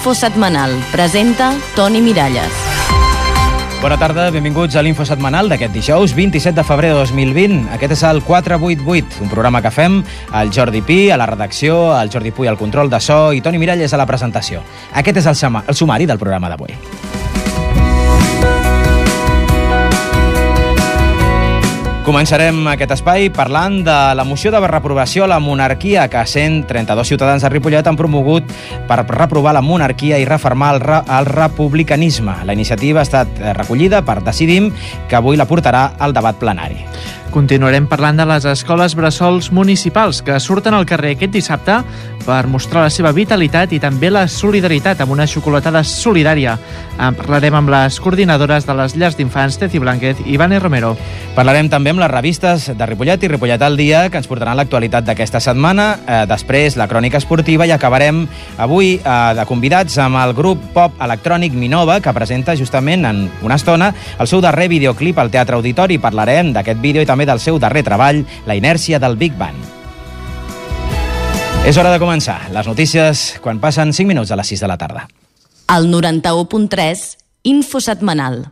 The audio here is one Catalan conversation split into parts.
Info setmanal. Presenta Toni Miralles. Bona tarda, benvinguts a l'Info setmanal d'aquest dijous 27 de febrer de 2020. Aquest és el 488, un programa que fem el Jordi Pi a la redacció, el Jordi Puy al control de so i Toni Miralles a la presentació. Aquest és el sumari del programa d'avui. Començarem aquest espai parlant de la moció de reprovació a la monarquia que 132 ciutadans de Ripollet han promogut per reprovar la monarquia i refermar el republicanisme. La iniciativa ha estat recollida per Decidim, que avui la portarà al debat plenari. Continuarem parlant de les escoles bressols municipals que surten al carrer aquest dissabte per mostrar la seva vitalitat i també la solidaritat amb una xocolatada solidària. En parlarem amb les coordinadores de les llars d'infants Ceci Blanquet i Vane Romero. Parlarem també amb les revistes de Ripollet i Ripollet al dia, que ens portaran l'actualitat d'aquesta setmana. Després, la crònica esportiva, i acabarem avui de convidats amb el grup pop electrònic Minova, que presenta justament en una estona el seu darrer videoclip al Teatre Auditori. Parlarem d'aquest vídeo i també del seu darrer treball, La inèrcia del Big Bang. És hora de començar. Les notícies quan passen 5 minuts a les 6 de la tarda. El 91.3, Info setmanal.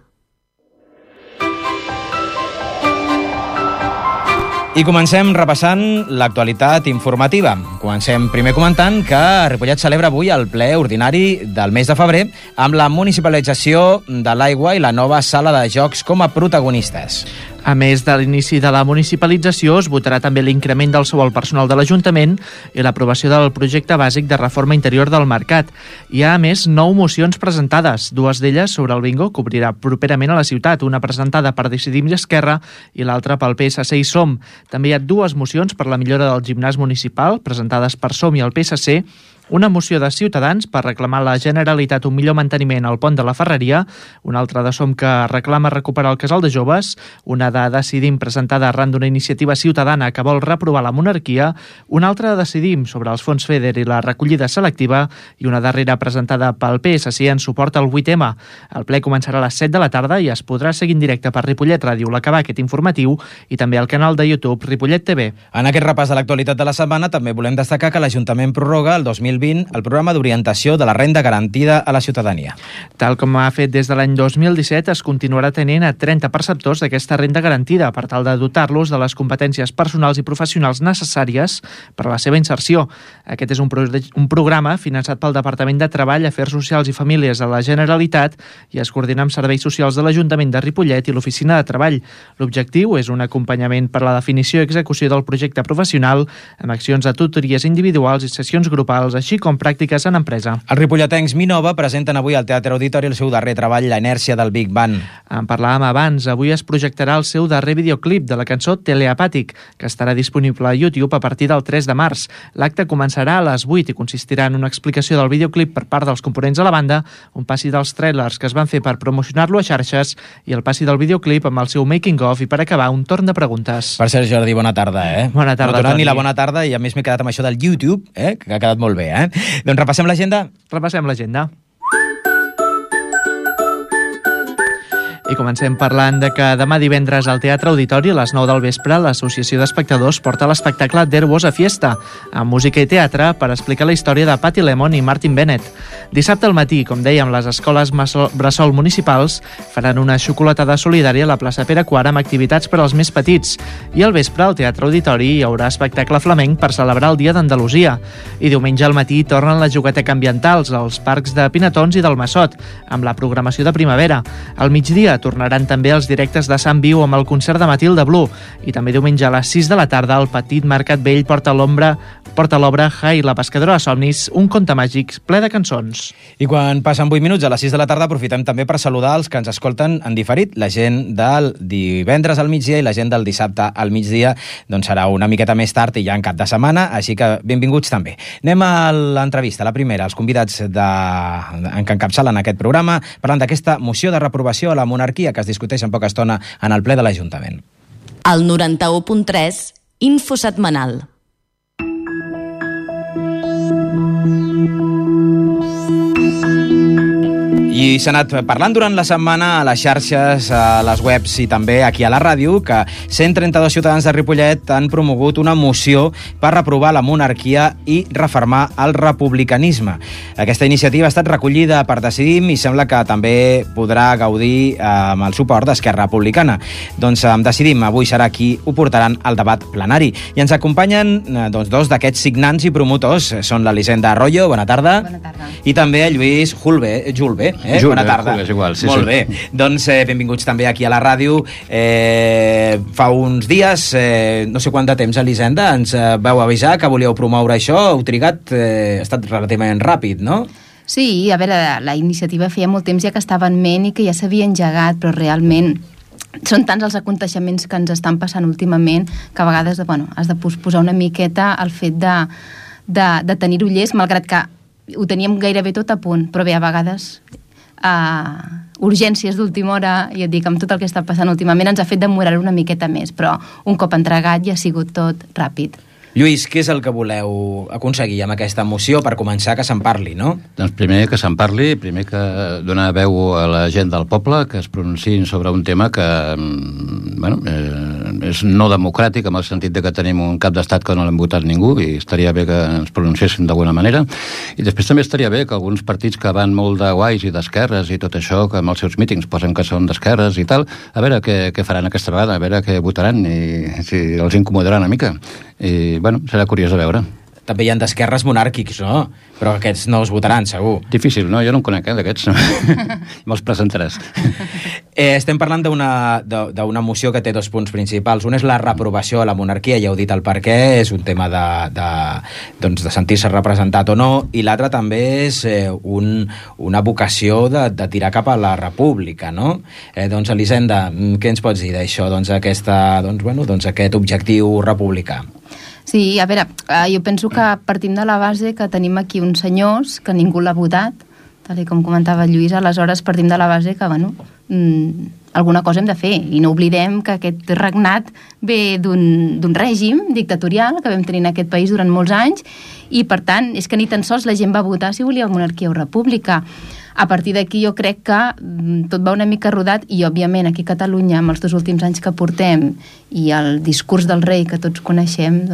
I comencem repassant l'actualitat informativa. Comencem primer comentant que Ripollet celebra avui el ple ordinari del mes de febrer amb la municipalització de l'aigua i la nova sala de jocs com a protagonistes. A més de l'inici de la municipalització, es votarà també l'increment del sou al personal de l'Ajuntament i l'aprovació del projecte bàsic de reforma interior del mercat. Hi ha, a més, 9 mocions presentades, 2 d'elles sobre el bingo, que obrirà properament a la ciutat, una presentada per Decidim i Esquerra i l'altra pel PSC i Som. També hi ha 2 mocions per la millora del gimnàs municipal, presentades per Som i el PSC, una moció de Ciutadans per reclamar a la Generalitat un millor manteniment al pont de la Ferreria, una altra de Som que reclama recuperar el casal de joves, una de Decidim presentada arran d'una iniciativa ciutadana que vol reprovar la monarquia, una altra de Decidim sobre els fons FEDER i la recollida selectiva i una darrera presentada pel PSC en suport al 8M. El ple començarà a les 7 de la tarda i es podrà seguir en directe per Ripollet Ràdio, l'acabar aquest informatiu, i també al canal de YouTube Ripollet TV. En aquest repàs de l'actualitat de la setmana també volem destacar que l'Ajuntament prorroga el 2020 el programa d'orientació de la renda garantida a la ciutadania. Tal com ha fet des de l'any 2017, es continuarà tenint a 30 perceptors d'aquesta renda garantida per tal de dotar-los de les competències personals i professionals necessàries per a la seva inserció. Aquest és un programa finançat pel Departament de Treball, Afers Socials i Famílies de la Generalitat i es coordina amb serveis socials de l'Ajuntament de Ripollet i l'Oficina de Treball. L'objectiu és un acompanyament per a la definició i execució del projecte professional amb accions de tutories individuals i sessions grupals, així com pràctiques en empresa. Els ripolletens Minova presenten avui al Teatre Auditori el seu darrer treball, La inèrcia del Big Bang. En parlàvem abans, avui es projectarà el seu darrer videoclip de la cançó Teleapàtic, que estarà disponible a YouTube a partir del 3 de març. L'acte començarà a les 8 i consistirà en una explicació del videoclip per part dels components de la banda, un passi dels trailers que es van fer per promocionar-lo a xarxes i el passi del videoclip amb el seu making-of i per acabar un torn de preguntes. Per cert, Jordi, bona tarda, Bona tarda, no Toni. Ni la bona tarda i a més m'he quedat amb això del YouTube, que ha quedat molt bé, Doncs repassem l'agenda? Repassem l'agenda. I comencem parlant de que demà divendres al Teatre Auditori a les 9 del vespre l'Associació d'Espectadors porta l'espectacle There Was a Fiesta, amb música i teatre per explicar la història de Patty Lemon i Martin Bennett. Dissabte al matí, com dèiem, les escoles bressol municipals faran una xocolatada solidària a la plaça Pere IV amb activitats per als més petits. I al vespre al Teatre Auditori hi haurà espectacle flamenc per celebrar el Dia d'Andalusia. I diumenge al matí tornen les jugueteques ambientals als parcs de Pinatons i del Massot, amb la programació de primavera. Al migdia tornaran també els directes de Sant Viu amb el concert de Matilda Blu i també diumenge a les 6 de la tarda el Petit Mercat Vell porta l'obra Jai, la pescadora de somnis, un conte màgic ple de cançons. I quan passen 8 minuts a les 6 de la tarda aprofitem també per saludar els que ens escolten en diferit. La gent del divendres al migdia i la gent del dissabte al migdia doncs serà una miqueta més tard i ja en cap de setmana, així que benvinguts també. Anem a l'entrevista, la primera, els convidats que encapçalen aquest programa, parlant d'aquesta moció de reprovació a la monarquia que es discuteix en poca estona en el ple de l'Ajuntament. El 91.3, Info setmanal. I s'ha anat parlant durant la setmana a les xarxes, a les webs i també aquí a la ràdio que 132 ciutadans de Ripollet han promogut una moció per reprovar la monarquia i refermar el republicanisme. Aquesta iniciativa ha estat recollida per Decidim i sembla que també podrà gaudir amb el suport d'Esquerra Republicana. Doncs amb Decidim avui serà qui ho portaran al debat plenari. I ens acompanyen dos d'aquests signants i promotors. Són l'Elisenda Arroyo, bona tarda. Bona tarda. I també el Lluís Julve. Bona tarda. És igual, sí, Molt sí. bé. Doncs benvinguts també aquí a la ràdio. Fa uns dies, no sé quant de temps, Elisenda, ens vau avisar que volíeu promoure això. Heu trigat, ha estat relativament ràpid, no? Sí, a veure, la iniciativa feia molt temps ja que estava en ment i que ja s'havia engegat, però realment són tants els aconteixements que ens estan passant últimament que a vegades has de posposar una miqueta el fet de tenir-ho llest, malgrat que ho teníem gairebé tot a punt, però bé, a vegades urgències d'última hora, i et dic, amb tot el que està passant últimament ens ha fet demorar una miqueta més, però un cop entregat ja ha sigut tot ràpid. Lluís, què és el que voleu aconseguir amb aquesta moció per començar que se'n parli, no? Doncs primer que se'n parli, primer que donar veu a la gent del poble, que es pronunciïn sobre un tema que és no democràtic, en el sentit de que tenim un cap d'estat que no l'hem votat ningú, i estaria bé que ens pronunciessin d'alguna manera. I després també estaria bé que alguns partits que van molt de guais i d'esquerres i tot això, que amb els seus mítings posen que són d'esquerres i tal, a veure què faran aquesta vegada, a veure què votaran i si els incomodarà una mica. I, serà curiós de veure. També hi ha d'esquerres monàrquics, no? Però aquests no els votaran, segur. Difícil, no? Jo no en conec, d'aquests. Me'ls presentaràs. Estem parlant d'una moció que té dos punts principals. Un és la reprovació a la monarquia, ja heu dit el per què, és un tema de sentir-se representat o no, i l'altre també és una vocació de tirar cap a la república, no? Doncs, Elisenda, què ens pots dir d'això, aquest objectiu republicà? Sí, a veure, jo penso que partim de la base que tenim aquí uns senyors que ningú l'ha votat, tal com comentava Lluís, aleshores partim de la base que, alguna cosa hem de fer, i no oblidem que aquest regnat ve d'un règim dictatorial que vam tenir en aquest país durant molts anys, i per tant és que ni tan sols la gent va votar si volia monarquia o república. A partir d'aquí jo crec que tot va una mica rodat, i òbviament aquí a Catalunya, amb els 2 últims anys que portem i el discurs del rei que tots coneixem,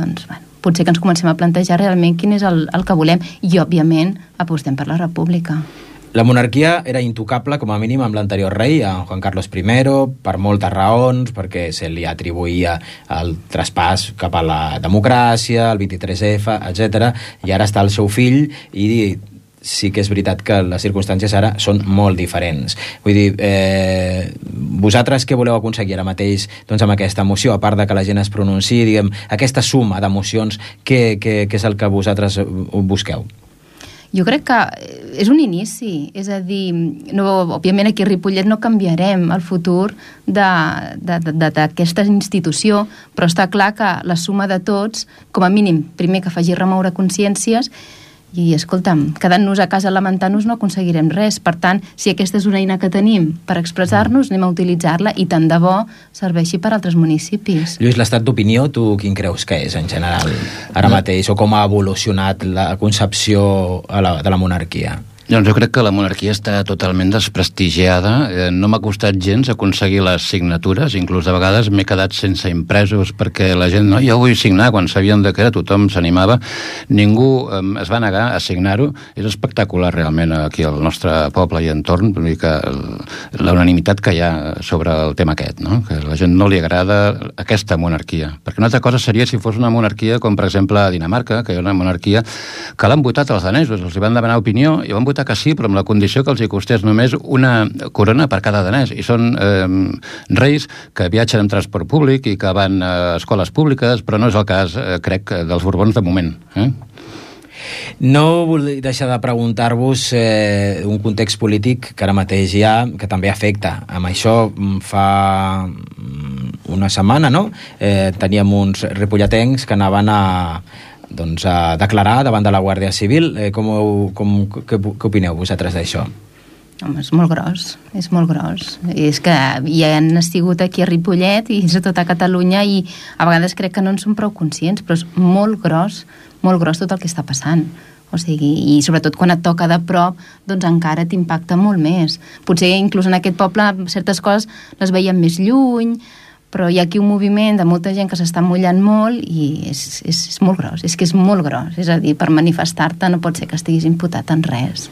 potser que ens comencem a plantejar realment quin és el que volem, i òbviament apostem per la república. La monarquia era intocable, com a mínim, amb l'anterior rei, en Juan Carlos I, per moltes raons, perquè se li atribuïa el traspàs cap a la democràcia, el 23F, etc. I ara està el seu fill, i sí que és veritat que les circumstàncies ara són molt diferents. Vull dir, vosaltres què voleu aconseguir ara mateix amb aquesta moció, a part de que la gent es pronunciï, diguem, aquesta suma d'emocions, què és el que vosaltres busqueu? Jo crec que és un inici, és a dir, òbviament aquí a Ripollet no canviarem el futur d'aquesta institució, però està clar que la suma de tots, com a mínim, primer que faci remoure consciències, i escolta'm, quedant-nos a casa lamentant-nos no aconseguirem res. Per tant, si aquesta és una eina que tenim per expressar-nos, anem a utilitzar-la, i tant de bo serveixi per a altres municipis. Lluís, l'estat d'opinió, tu quin creus que és en general ara mateix, o com ha evolucionat la concepció de la monarquia? Doncs jo crec que la monarquia està totalment desprestigiada. No m'ha costat gens aconseguir les signatures, inclús de vegades m'he quedat sense impresos perquè la gent, no, jo vull signar, quan sabien que era, tothom s'animava. Ningú es va negar a signar-ho. És espectacular realment aquí al nostre poble i entorn, vull dir que la unanimitat que hi ha sobre el tema aquest, no? Que a la gent no li agrada aquesta monarquia. Perquè una altra cosa seria si fos una monarquia com per exemple a Dinamarca, que hi ha una monarquia que l'han votat els danesos, els van demanar opinió i van votar que sí, però amb la condició que els hi costés només una corona per cada danès, i són reis que viatgen en transport públic i que van a escoles públiques, però no és el cas, crec, dels Borbons de moment. No vull deixar de preguntar-vos un context polític que ara mateix hi ha, que també afecta. Amb això fa una setmana, no? Teníem uns ripolletens que anaven a declarar davant de la Guàrdia Civil. Què opineu vosaltres d'això? Home, és molt gros. És que ja han estigut aquí a Ripollet i a tota Catalunya, i a vegades crec que no en som prou conscients, però és molt gros tot el que està passant. O sigui, i sobretot quan et toca de prop, doncs encara t'impacta molt més. Potser inclús en aquest poble certes coses les veiem més lluny, però hi ha aquí un moviment de molta gent que s'està mullant molt i és molt gros, és que és molt gros. És a dir, per manifestar-te no pot ser que estiguis imputat en res.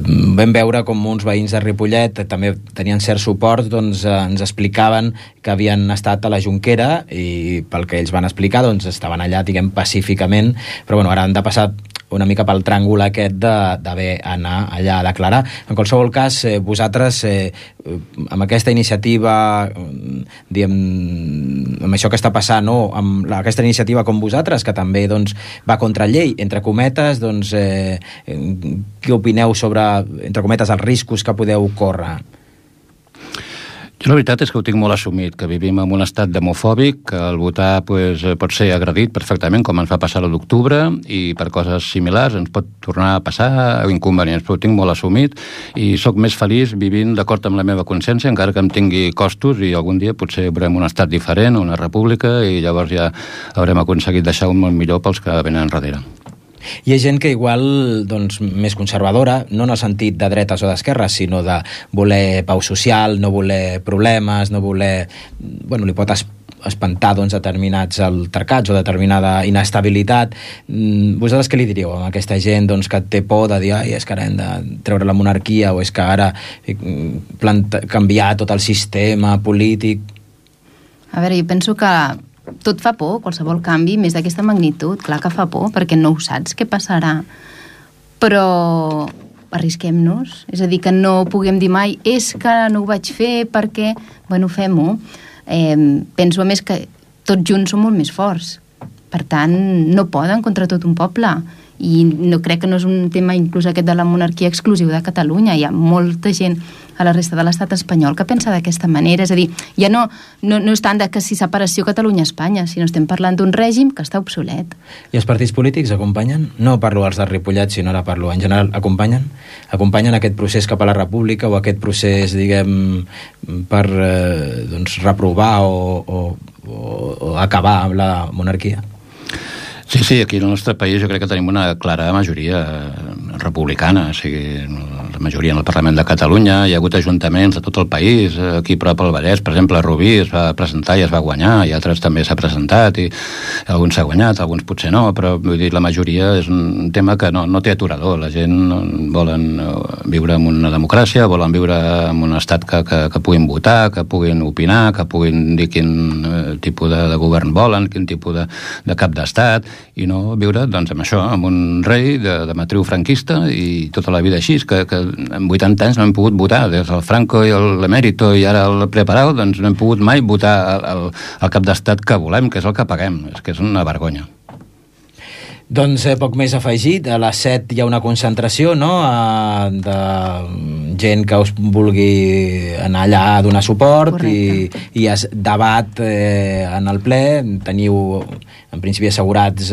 Vam veure com uns veïns de Ripollet també tenien cert suport, doncs ens explicaven que havien estat a la Jonquera i pel que ells van explicar doncs estaven allà, diguem, pacíficament, però bueno, ara han de passar una mica pel tràngol aquest d'haver anar allà a declarar. En qualsevol cas, vosaltres, amb aquesta iniciativa, diguem, amb això que està passant, no? Amb aquesta iniciativa com vosaltres, que també doncs, va contra llei, entre cometes, doncs, què opineu sobre, entre cometes, els riscos que podeu córrer? Jo la veritat és que ho tinc molt assumit, que vivim en un estat demofòbic, que el votar pues, pot ser agredit perfectament, com ens va passar a l'octubre, i per coses similars ens pot tornar a passar inconvenients, però ho tinc molt assumit i sóc més feliç vivint d'acord amb la meva consciència, encara que em tingui costos, i algun dia potser veurem un estat diferent, una república, i llavors ja haurem aconseguit deixar un món millor pels que venen enrere. Hi ha gent que igual, doncs, més conservadora, no en el sentit de dretes o d'esquerres, sinó de voler pau social, no voler problemes, no voler... Bueno, li pot espantar doncs, determinats altercats o determinada inestabilitat. Vosaltres què li diríeu a aquesta gent doncs, que té por de dir és que ara hem de treure la monarquia o és que ara canviar tot el sistema polític? A veure, jo penso que tot fa por, qualsevol canvi, més d'aquesta magnitud, clar que fa por, perquè no ho saps què passarà. Però arrisquem-nos, és a dir, que no puguem dir mai és que no ho vaig fer perquè, bueno, fem-ho. Penso a més que tots junts som molt més forts, per tant no poden contra tot un poble, i no crec que no és un tema inclús aquest de la monarquia exclusiu de Catalunya, hi ha molta gent a la resta de l'estat espanyol que pensa d'aquesta manera, és a dir, ja no és tant de que si separació Catalunya-Espanya, sinó estem parlant d'un règim que està obsolet. I els partits polítics acompanyen? No parlo als de Ripollet, sinó ara parlo en general, acompanyen? Acompanyen aquest procés cap a la república o aquest procés, diguem, per doncs, reprovar o acabar amb la monarquia? Sí, aquí al nostre país jo crec que tenim una clara majoria republicana, o sigui, la majoria en el Parlament de Catalunya, hi ha hagut ajuntaments de tot el país, aquí a prop al Vallès, per exemple, a Rubí es va presentar i es va guanyar, i altres també s'ha presentat, i alguns s'ha guanyat, alguns potser no, però vull dir, la majoria és un tema que no té aturador, la gent volen viure en una democràcia, volen viure en un estat que puguin votar, que puguin opinar, que puguin dir quin tipus de govern volen, quin tipus de cap d'estat, i no viure doncs, amb això, amb un rei de matriu franquista i tota la vida així, que en 80 anys no hem pogut votar, des del Franco i l'Emèrito i ara el Preparado, doncs no hem pogut mai votar el cap d'estat que volem, que és el que paguem, és que és una vergonya. Doncs poc més afegit, a les 7 hi ha una concentració, no?, de gent que us vulgui anar allà a donar suport i es debat en el ple, teniu en principi assegurats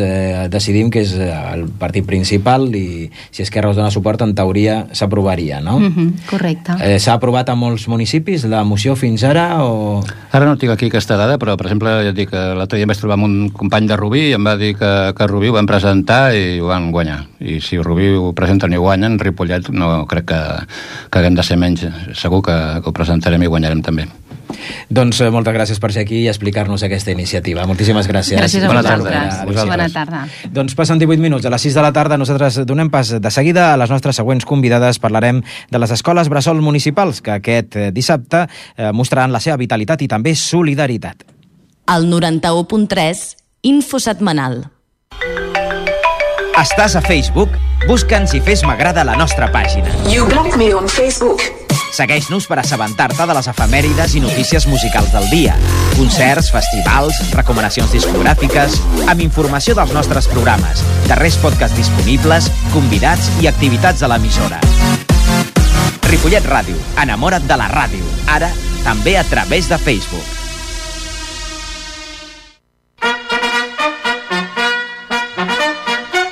Decidim, que és el partit principal, i si Esquerra us dona suport, en teoria s'aprovaria, no? Correcte. S'ha aprovat a molts municipis la moció fins ara? O... Ara no tinc aquí aquesta dada, però per exemple, ja dic que l'altre dia em vaig trobar amb un company de Rubí i em va dir que a Rubí ho van presentar i ho van guanyar. I si Rubí ho presenten i ho guanyen, Ripollet no crec que haguem de ser menys. Segur que ho presentarem i guanyarem també. Doncs moltes gràcies per ser aquí i explicar-nos aquesta iniciativa. Moltíssimes gràcies. Gràcies a vosaltres. Bona tarda. Doncs passen 18 minuts. A les 6 de la tarda nosaltres donem pas de seguida a les nostres següents convidades. Parlarem de les escoles bressol municipals que aquest dissabte mostraran la seva vitalitat i també solidaritat. El 91.3 Info Setmanal. Estàs a Facebook? Busca'ns i fes m'agrada a la nostra pàgina. You block me on Facebook. Segueix-nos per assabentar-te de les efemèrides i notícies musicals del dia, concerts, festivals, recomanacions discogràfiques, amb informació dels nostres programes, darrers podcasts disponibles, convidats i activitats a l'emissora. Ripollet Ràdio, enamora't de la ràdio, ara també a través de Facebook.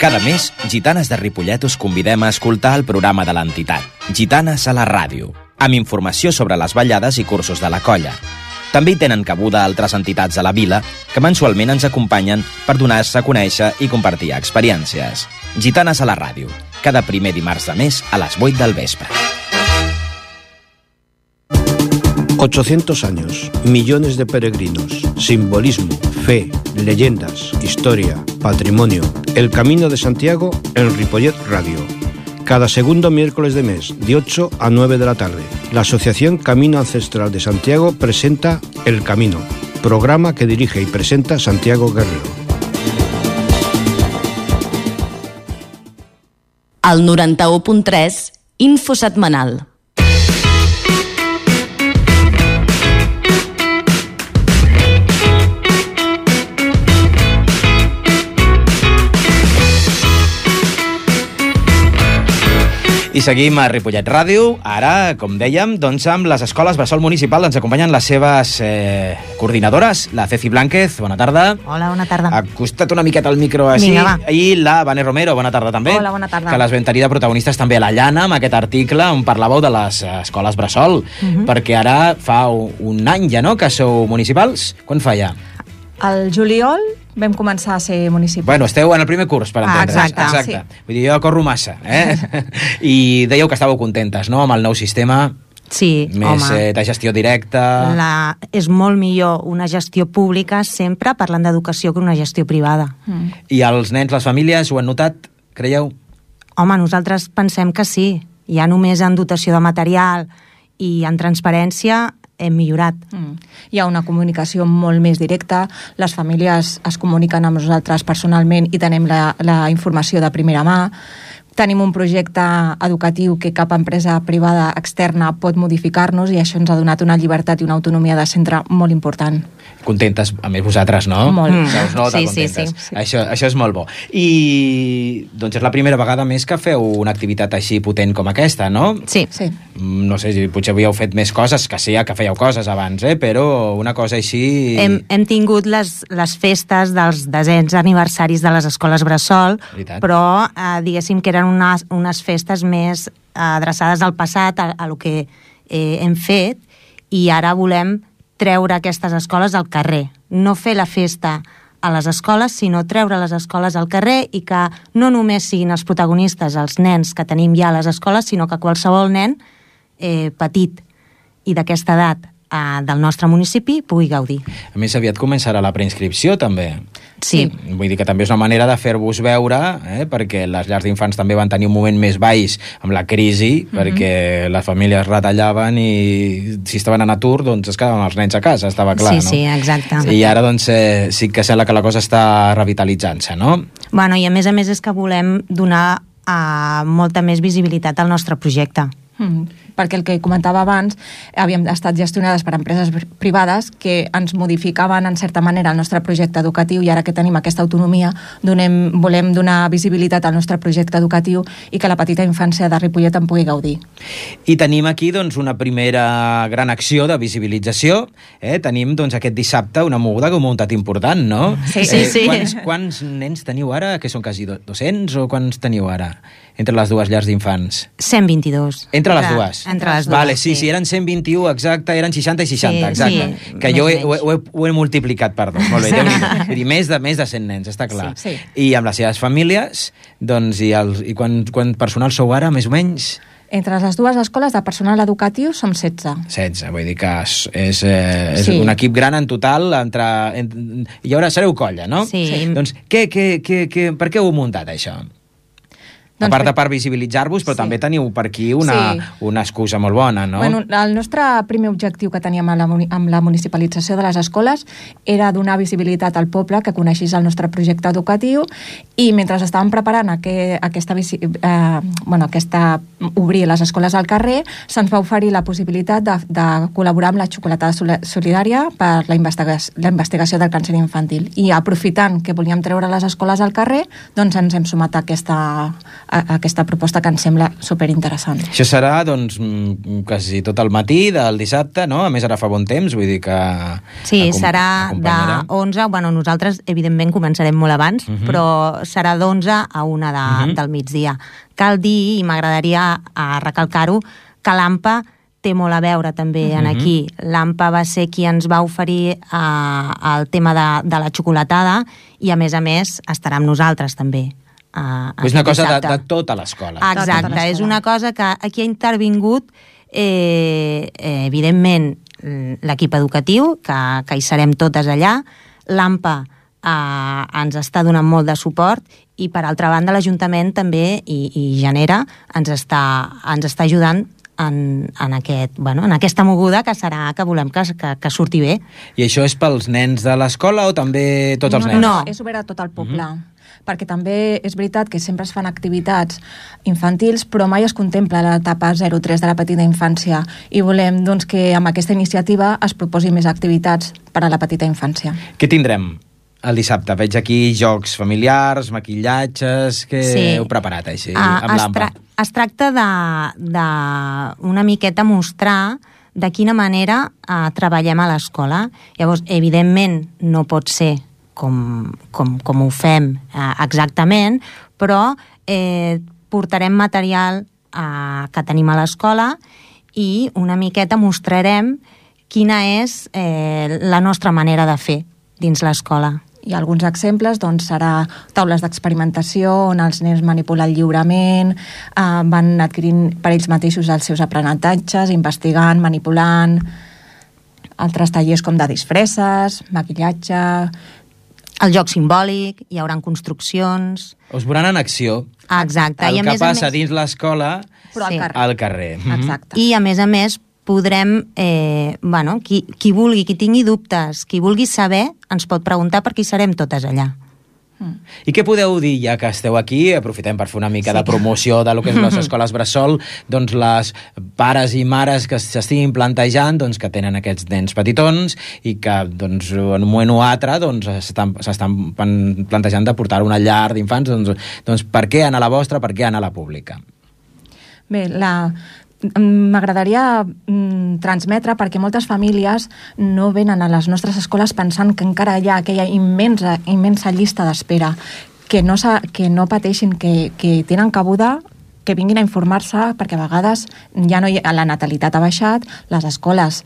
Cada mes, Gitanes de Ripollet us convidem a escoltar el programa de l'entitat, Gitanes a la Ràdio, amb informació sobre les ballades i cursos de la colla. També hi tenen cabuda altres entitats de la vila que mensualment ens acompanyen per donar-se a conèixer i compartir experiències. Gitanes a la ràdio, cada primer dimarts de mes a les 8 del vespre. 800 años, millones de peregrinos, simbolismo, fe, leyendas, historia, patrimonio. El Camino de Santiago en Ripollet Radio. Cada segundo miércoles de mes, de 8 a 9 de la tarde. La Asociación Camino Ancestral de Santiago presenta El Camino, programa que dirige y presenta Santiago Guerrero. Al 91.3, Info Setmanal. I seguim a Ripollet Ràdio. Ara, com dèiem, doncs amb les escoles Bressol Municipal ens acompanyen les seves coordinadores, la Ceci Blánquez, bona tarda. Hola, bona tarda. Acosta't una miqueta al micro així. Vinga, va. I la Vane Romero, bona tarda també. Hola, bona tarda. Que les vam tenir de protagonistes també a la Llana, amb aquest article on parlàveu de les escoles Bressol, perquè ara fa un any ja, no?, que sou municipals. Quan fa ja? Al juliol vam començar a ser municipals. Bueno, esteu en el primer curs, per entendre's. Exacte. Sí. Vull dir, jo corro massa, I dèieu que estàveu contentes, no?, amb el nou sistema. Sí, més de gestió directa. És molt millor una gestió pública sempre parlant d'educació que una gestió privada. I els nens, les famílies, ho han notat, creieu? Home, nosaltres pensem que sí. Ja només en dotació de material i en transparència hem millorat. Hi ha una comunicació molt més directa, les famílies es comuniquen amb nosaltres personalment i tenim la informació de primera mà. Tenim un projecte educatiu que cap empresa privada externa pot modificar-nos i això ens ha donat una llibertat i una autonomia de centre molt important. Contentes, a més vosaltres, no? Molt. Se us nota contentes. Sí. Això és molt bo. I doncs és la primera vegada més que feu una activitat així potent com aquesta, no? Sí. No sé, potser havíeu fet més coses, que sí, que fèieu coses abans, però una cosa així... Hem tingut les festes dels 10è aniversaris de les escoles Bressol, però diguéssim que eren unes festes més adreçades al passat, a lo que hem fet, i ara volem treure aquestes escoles al carrer. No fer la festa a les escoles, sinó treure les escoles al carrer i que no només siguin els protagonistes els nens que tenim ja a les escoles, sinó que qualsevol nen petit i d'aquesta edat del nostre municipi pugui gaudir. A més, aviat començarà la preinscripció, també. Sí. Vull dir que també és una manera de fer-vos veure, perquè les llars d'infants també van tenir un moment més baix amb la crisi, perquè les famílies retallaven i si estaven en atur, doncs es quedaven els nens a casa, estava clar, no? Sí, exacte. I ara, doncs, sí que sembla que la cosa està revitalitzant-se, no? Bueno, i a més és que volem donar molta més visibilitat al nostre projecte. Perquè el que comentava abans, havíem estat gestionades per empreses privades que ens modificaven en certa manera el nostre projecte educatiu i ara que tenim aquesta autonomia volem donar visibilitat al nostre projecte educatiu i que la petita infància de Ripollet en pugui gaudir. I tenim aquí doncs, una primera gran acció de visibilització. Tenim doncs, aquest dissabte una moguda que heu muntat important, no? Sí. Quants nens teniu ara? Que són quasi 200 o quants teniu ara? Entre les dues llars d'infants? 122. Entre les dues? Entre les dues, vale, sí, eren 121, exacte, eren 60 i 60, exacte. Sí, que jo ho he multiplicat per dos, molt bé. Vull dir, més de 100 nens, està clar. Sí. I amb les seves famílies, doncs, i quan personal sou ara, més o menys? Entre les dues escoles de personal educatiu som 16. 16, vull dir que és un equip gran en total, i ara sereu colla, no? Sí. Doncs per què ho heu muntat, això? A part de per visibilitzar-vos, però també teniu per aquí una excusa molt bona, no? Bueno, el nostre primer objectiu que teníem amb la municipalització de les escoles era donar visibilitat al poble, que coneixés el nostre projecte educatiu, i mentre estàvem preparant obrir les escoles al carrer, se'ns va oferir la possibilitat de col·laborar amb la xocolatada solidària per la investigació del càncer infantil. I aprofitant que volíem treure les escoles al carrer, doncs ens hem sumat a aquesta proposta que ens sembla superinteressant. Això serà, doncs, quasi tot el matí del dissabte, no? A més, ara fa bon temps, vull dir que... Sí, serà de 11, bueno, nosaltres, evidentment, començarem molt abans, però serà d'11 a 1 del migdia. Cal dir, i m'agradaria recalcar-ho, que l'AMPA té molt a veure també en aquí. L'AMPA va ser qui ens va oferir el tema de la xocolatada i, a més, estarà amb nosaltres també. És una cosa de tota l'escola. Exacte, és una cosa que aquí ha intervingut, evidentment, l'equip educatiu, que hi serem totes allà. L'AMPA ens està donant molt de suport i, per altra banda, l'Ajuntament també, i Genera, ens està ajudant en aquesta moguda que serà que volem que surti bé. I això és pels nens de l'escola o també tots els nens? No, és obert a tot el poble. Perquè també és veritat que sempre es fan activitats infantils, però mai es contempla l'etapa 0-3 de la petita infància, i volem que amb aquesta iniciativa es proposi més activitats per a la petita infància. Què tindrem el dissabte? Veig aquí jocs familiars, maquillatges... Què heu preparat així amb l'AMPA? Es tracta d'una miqueta mostrar de quina manera treballem a l'escola. Llavors, evidentment, no pot ser com ho fem exactament, però portarem material que tenim a l'escola i una miqueta mostrarem quina és la nostra manera de fer dins l'escola. I alguns exemples serà taules d'experimentació on els nens manipulen lliurement, van adquirint per ells mateixos els seus aprenentatges, investigant, manipulant, altres tallers com de disfresses, maquillatge... El joc simbòlic, hi haurà construccions... Us veuran en acció. Exacte. El que passa dins l'escola al carrer. Exacte. I, a més, podrem, qui vulgui, qui tingui dubtes, qui vulgui saber, ens pot preguntar perquè hi serem totes allà. I què podeu dir, ja que esteu aquí, aprofitem per fer una mica de promoció de lo que és les escoles bressol, doncs les pares i mares que s'estiguin plantejant, doncs que tenen aquests nens petitons i que doncs, en un moment o altre s'estan plantejant de portar una llar d'infants, doncs per què anar a la vostra, per què anar a la pública? Bé, m'agradaria transmetre, perquè moltes famílies no venen a les nostres escoles pensant que encara hi ha aquella immensa llista d'espera, que no pateixin, que tenen cabuda, que vinguin a informar-se, perquè a vegades la natalitat ha baixat, les escoles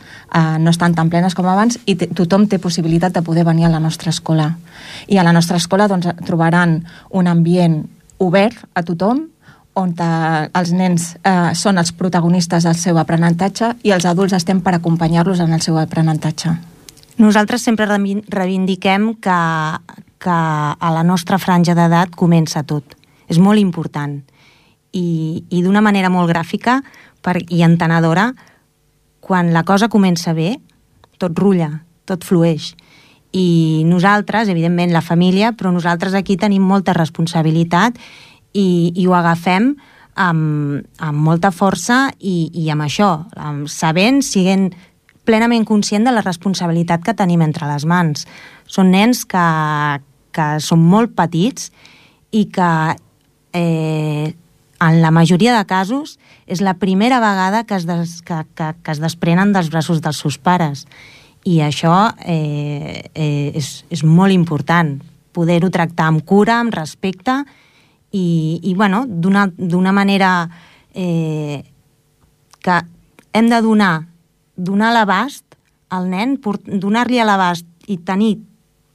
no estan tan plenes com abans i tothom té possibilitat de poder venir a la nostra escola. I a la nostra escola trobaran un ambient obert a tothom, on els nens són els protagonistes del seu aprenentatge i els adults estem per acompanyar-los en el seu aprenentatge. Nosaltres sempre reivindiquem que a la nostra franja d'edat comença tot. És molt important. I d'una manera molt gràfica i entenedora, quan la cosa comença bé, tot rulla, tot flueix. I nosaltres, evidentment la família, però nosaltres aquí tenim molta responsabilitat i ho agafem amb molta força i amb això, siguent plenament conscient de la responsabilitat que tenim entre les mans. Són nens que són molt petits i que en la majoria de casos és la primera vegada que es desprenen dels braços dels seus pares. I això és molt important, poder-ho tractar amb cura, amb respecte i d'una manera que hem de donar l'abast al nen, donar-li a l'abast i tenir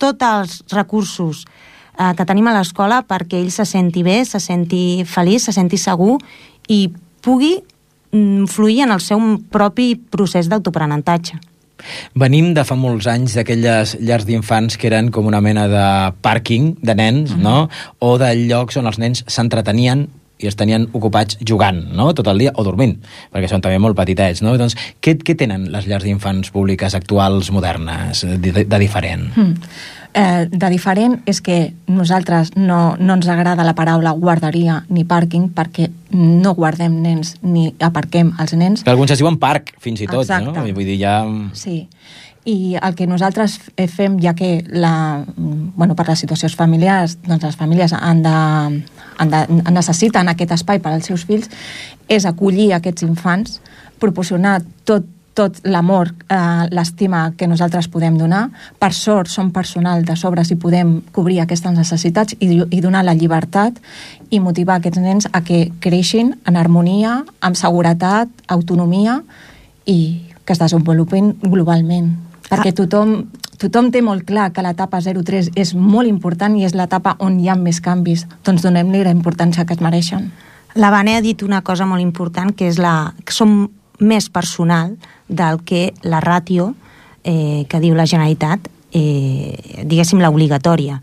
tots els recursos que tenim a l'escola perquè ell se senti bé, se senti feliç, se senti segur i pugui fluir en el seu propi procés d'autoaprenentatge. Venim de fa molts anys d'aquelles llars d'infants que eren com una mena de pàrquing de nens, no? O de llocs on els nens s'entretenien i els tenien ocupats jugant, no? Tot el dia, o dormint, perquè són també molt petitets, no? Doncs, què tenen les llars d'infants públiques actuals, modernes, de diferent? De diferent és que nosaltres no ens agrada la paraula guarderia ni pàrquing perquè no guardem nens ni aparquem els nens. Que alguns es diuen parc, fins i tot, exacte. No? Vull dir, ja... Sí, i el que nosaltres fem, ja que per les situacions familiars, doncs les famílies necessiten aquest espai per als seus fills, és acollir aquests infants, proporcionar tot l'amor, l'estima que nosaltres podem donar. Per sort, som personal de sobres i podem cobrir aquestes necessitats i donar la llibertat i motivar aquests nens a que creixin en harmonia, amb seguretat, autonomia i que es desenvolupin globalment. Perquè tothom té molt clar que l'etapa 0-3 és molt important i és l'etapa on hi ha més canvis. Doncs donem-li la importància que es mereixen. La Vane ha dit una cosa molt important, que és que som més personal del que la ràtio que diu la Generalitat, diguéssim, l'obligatòria.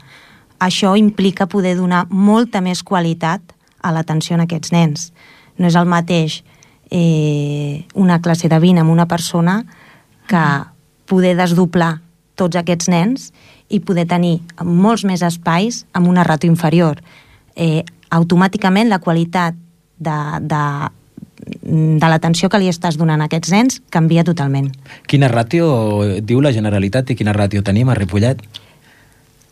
Això implica poder donar molta més qualitat a l'atenció a aquests nens. No és el mateix una classe de 20 amb una persona que poder desdoblar tots aquests nens i poder tenir molts més espais amb una ràtio inferior. Automàticament la qualitat de l'atenció que li estàs donant a aquests nens canvia totalment. Quina ràtio diu la Generalitat i quina ràtio tenim a Ripollet?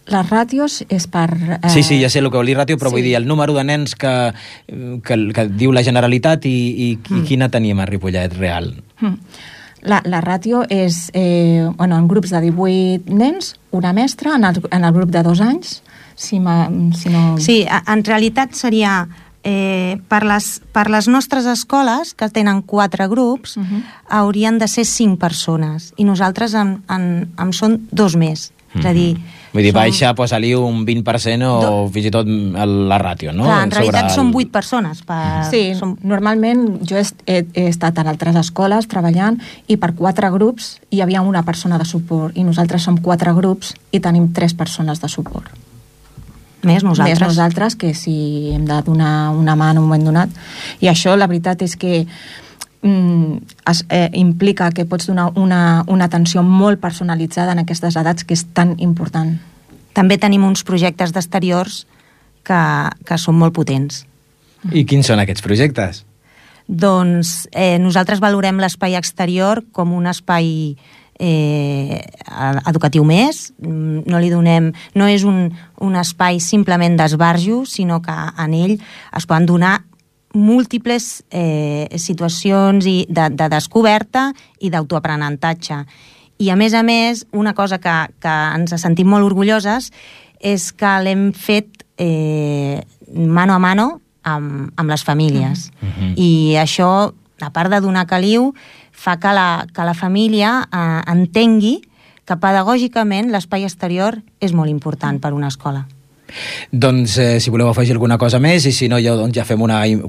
Les ràtios és per... Sí, ja sé el que vol dir ràtio, però vull dir el número de nens que diu la Generalitat i quina tenim a Ripollet real. La ràtio és en grups de 18 nens, una mestra, en el grup de 2 anys, si no... Sí, en realitat seria per les nostres escoles, que tenen 4 grups, haurien de ser 5 persones, i nosaltres en són 2 més. És a dir... Vull dir, baixa, posa-li un 20% o fins i tot la ràtio, no? Clar, en realitat són 8 persones. Sí, normalment jo he estat en altres escoles treballant i per 4 grups hi havia una persona de suport i nosaltres som 4 grups i tenim 3 persones de suport. Més nosaltres. Més nosaltres, que si hem de donar una mà en un moment donat. I això, la veritat és que implica que pots donar una atenció molt personalitzada en aquestes edats, que és tan important. També tenim uns projectes d'exteriors que són molt potents. I quins són aquests projectes? Doncs nosaltres valorem l'espai exterior com un espai educatiu més. No és un espai simplement d'esbarjo, sinó que en ell es poden donar múltiples situacions de descoberta i d'autoaprenentatge. I a més, una cosa que ens sentim molt orgulloses és que l'hem fet mano a mano amb les famílies. I això, a part de donar caliu, fa que la família entengui que pedagògicament l'espai exterior és molt important per una escola. Doncs si voleu afegir alguna cosa més, i si no, ja fem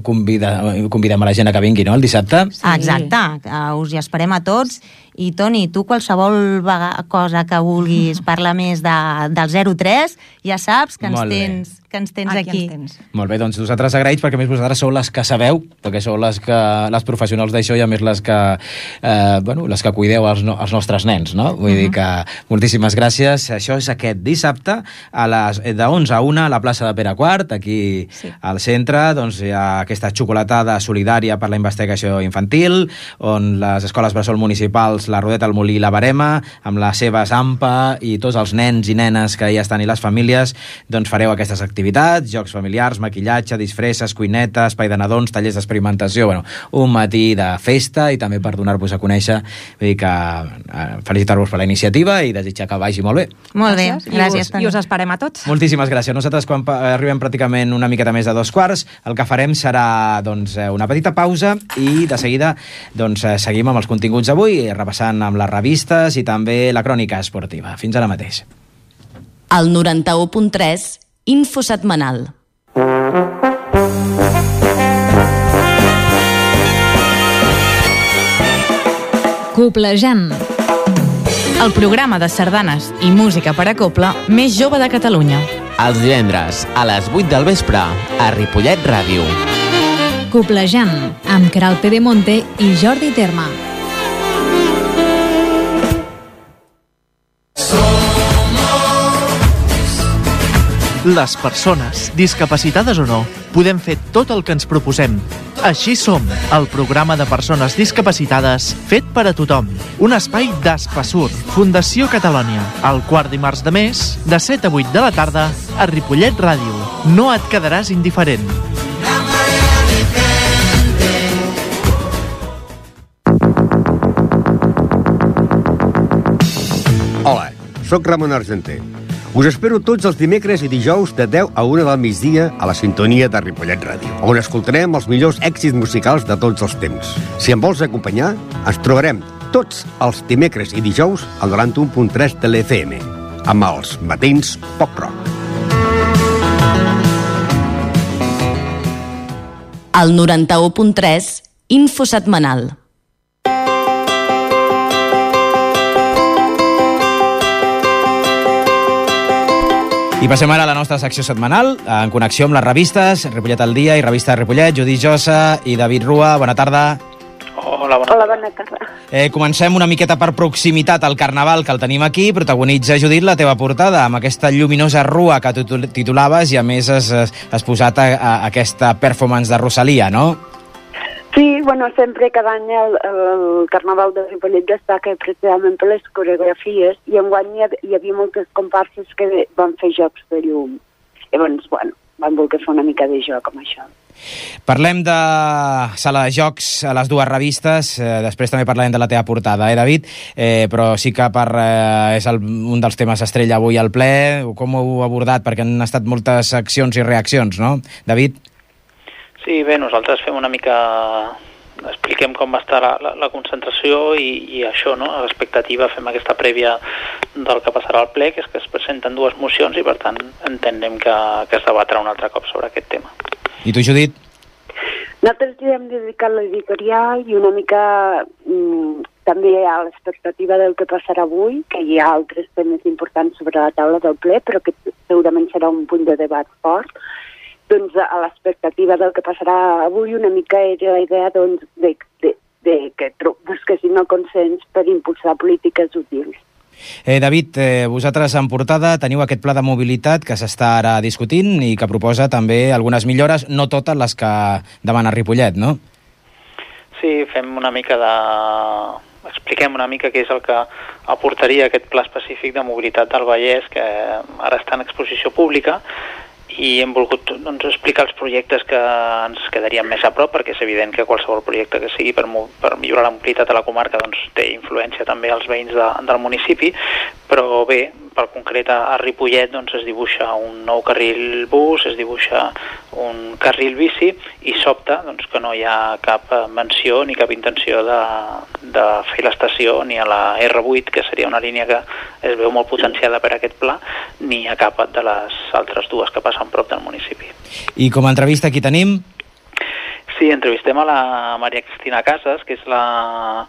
convidem a la gent a que vingui, no?, el dissabte. Sí. Exacte, us hi esperem a tots. I Toni, tu qualsevol cosa que vulguis parlar més del 03, ja saps que ens tens aquí. Molt bé, doncs nosaltres agraïts, perquè a més vosaltres sou les que sabeu, perquè sou les professionals d'això i a més les que cuideu els nostres nens, no? Vull dir que moltíssimes gràcies. Això és aquest dissabte de 11 a 1 a la plaça de Pere IV, aquí al centre. Doncs hi ha aquesta xocolatada solidària per la investigació infantil, on les escoles bressol municipals, la Rodeta, el Molí i la Verema, amb la seva Zampa i tots els nens i nenes que hi estan i les famílies, doncs fareu aquestes activitats, jocs familiars, maquillatge, disfresses, cuineta, espai de nadons, tallers d'experimentació, un matí de festa i també per donar-vos a conèixer. Vull dir que felicitar-vos per la iniciativa i desitjar que vagi molt bé. Molt bé, gràcies. I us esperem a tots. Moltíssimes gràcies. Nosaltres, quan arribem pràcticament una miqueta més de 2:15, el que farem serà una petita pausa i de seguida seguim amb els continguts d'avui, repassant amb les revistes i també la crònica esportiva. Fins ara mateix. El 91.3, Info Setmanal. Coplejant. El programa de sardanes i música per a cobla més jove de Catalunya. Els divendres a les 8 del vespre a Ripollet Ràdio. Coplejant, amb Queralt Pedemonte i Jordi Terma. Les persones, discapacitades o no, podem fer tot el que ens proposem. Així som, el programa de persones discapacitades fet per a tothom. Un espai d'Espasur, Fundació Catalònia, el quart dimarts de mes, de 7 a 8 de la tarda, a Ripollet Ràdio. No et quedaràs indiferent. Hola, sóc Ramon Argenter. Us espero tots els dimecres i dijous de 10 a 1 del migdia a la sintonia de Ripollet Ràdio, on escoltarem els millors èxits musicals de tots els temps. Si em vols acompanyar, ens trobarem tots els dimecres i dijous al 91.3 de l'FM, amb els matins Pop Rock. Al 91.3, Info Setmanal. I passem ara a la nostra secció setmanal, en connexió amb les revistes, Ripollet al dia i Revista de Ripollet, Judit Josa i David Rua. Bona tarda. Hola, bona tarda. Comencem una miqueta per proximitat al Carnaval, que el tenim aquí. Protagonitza, Judit, la teva portada, amb aquesta lluminosa rua que titulaves i, a més, has posat aquesta performance de Rosalia, no? Sí, bueno, sempre cada any el Carnaval de Ripollet destaca precisament per les coreografies i enguany hi havia moltes comparses que van fer jocs de llum. Llavors, bueno, van voler fer una mica de joc amb això. Parlem de sala de jocs a les dues revistes, després també parlarem de la teva portada, David? Però sí que és un dels temes estrella avui al ple. Com ho heu abordat? Perquè han estat moltes accions i reaccions, no, David? Sí, bé, nosaltres fem una mica... expliquem com va estar la concentració i això, no? A l'expectativa fem aquesta prèvia del que passarà al ple, que és que es presenten dues mocions i, per tant, entenem que es debatrà un altre cop sobre aquest tema. I tu, Judit? Nosaltres ja hem dedicat l'editorial i una mica també a l'expectativa del que passarà avui, que hi ha altres temes importants sobre la taula del ple, però que segurament serà un punt de debat fort. Doncs a l'expectativa del que passarà avui una mica era la idea doncs, de que busquessin el consens per impulsar polítiques útils. David, vosaltres en portada teniu aquest pla de mobilitat que s'està ara discutint i que proposa també algunes millores, no totes les que demana Ripollet, no? Sí, fem una mica expliquem una mica què és el que aportaria aquest pla específic de mobilitat del Vallès, que ara està en exposició pública, i hem volgut explicar els projectes que ens quedarien més a prop, perquè és evident que qualsevol projecte que sigui per millorar la mobilitat a la comarca té influència també als veïns del municipi, però bé, per concret a Ripollet es dibuixa un nou carril bus, es dibuixa un carril bici i sobta que no hi ha cap menció ni cap intenció de fer l'estació ni a la R8, que seria una línia que es veu molt potenciada per aquest pla, ni a cap de les altres dues que passen prop del municipi. I com a entrevista qui tenim? Sí, entrevistem a la Maria Cristina Casas, que és la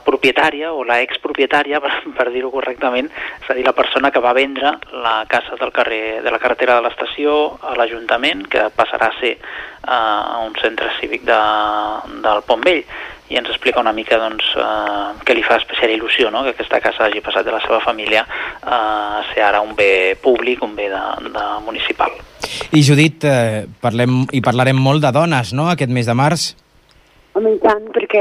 propietària o la expropietària, per dir-ho correctament, és a dir, la persona que va vendre la casa de la carretera de l'estació a l'Ajuntament, que passarà a ser un centre cívic del Pont Vell, i ens explica una mica què li fa especial il·lusió, no? Que aquesta casa hagi passat de la seva família a ser ara un bé públic, un bé de municipal. I Judit, parlarem molt de dones, no?, aquest mes de març? Home, i tant, perquè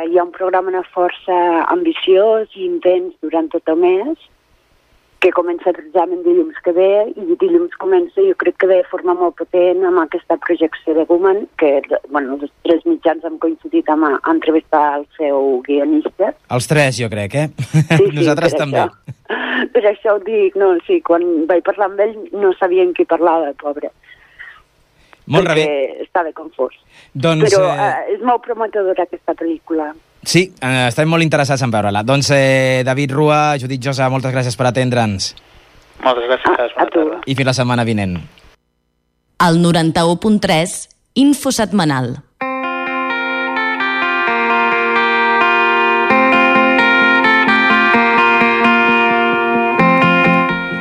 hi ha un programa força ambiciós i intens durant tot el mes, que comença precisament dilluns que ve, i dilluns comença, jo crec que de forma molt potent, amb aquesta projecció de Woman, que, bueno, els tres mitjans han coincidit a entrevistar el seu guionista. Els tres, jo crec, Sí, nosaltres també. Per això ho dic, no, sí, quan vaig parlar amb ell no sabia en qui parlava, pobre. Molt perquè estava confós. Però és molt prometedora aquesta pel·lícula. Sí, estem molt interessats en veure-la. Doncs David Rua, Judit Josa, moltes gràcies per atendre'ns. Moltes gràcies, bona tarda. I fins la setmana vinent. Al 91.3, Info Setmanal.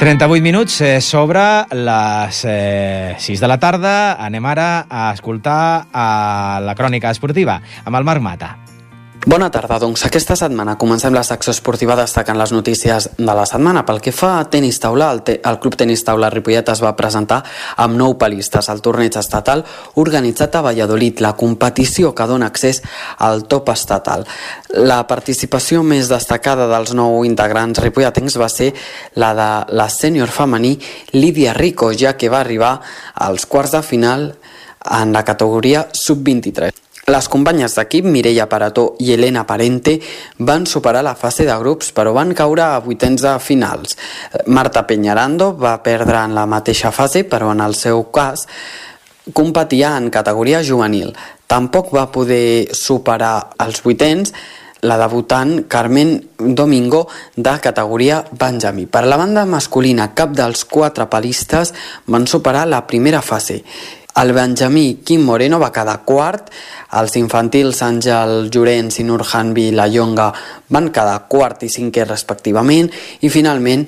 ...38 minuts sobre les 6 de la tarda. Anem ara a escoltar la crònica esportiva amb el Marc Mata. Bona tarda, doncs aquesta setmana comencem la secció esportiva destacant les notícies de la setmana. Pel que fa a tenis taula, el Club Tenis Taula Ripollet es va presentar amb 9 pelistes al torneig estatal organitzat a Valladolid, la competició que dona accés al top estatal. La participació més destacada dels 9 integrants ripolletens va ser la de la sènior femení Lídia Rico, ja que va arribar als quarts de final en la categoria sub-23. Les companyes d'equip Mireia Parató i Elena Parente van superar la fase de grups, però van caure a vuitens de finals. Marta Peñarando va perdre en la mateixa fase, però en el seu cas competia en categoria juvenil. Tampoc va poder superar els vuitens la debutant Carmen Domingo de categoria Benjamí. Per la banda masculina, cap dels 4 palistes van superar la primera fase. El benjamí Quim Moreno va quedar quart, els infantils Àngel Llorenç i Nurhan Vilallonga van quedar quart i cinquè respectivament, i finalment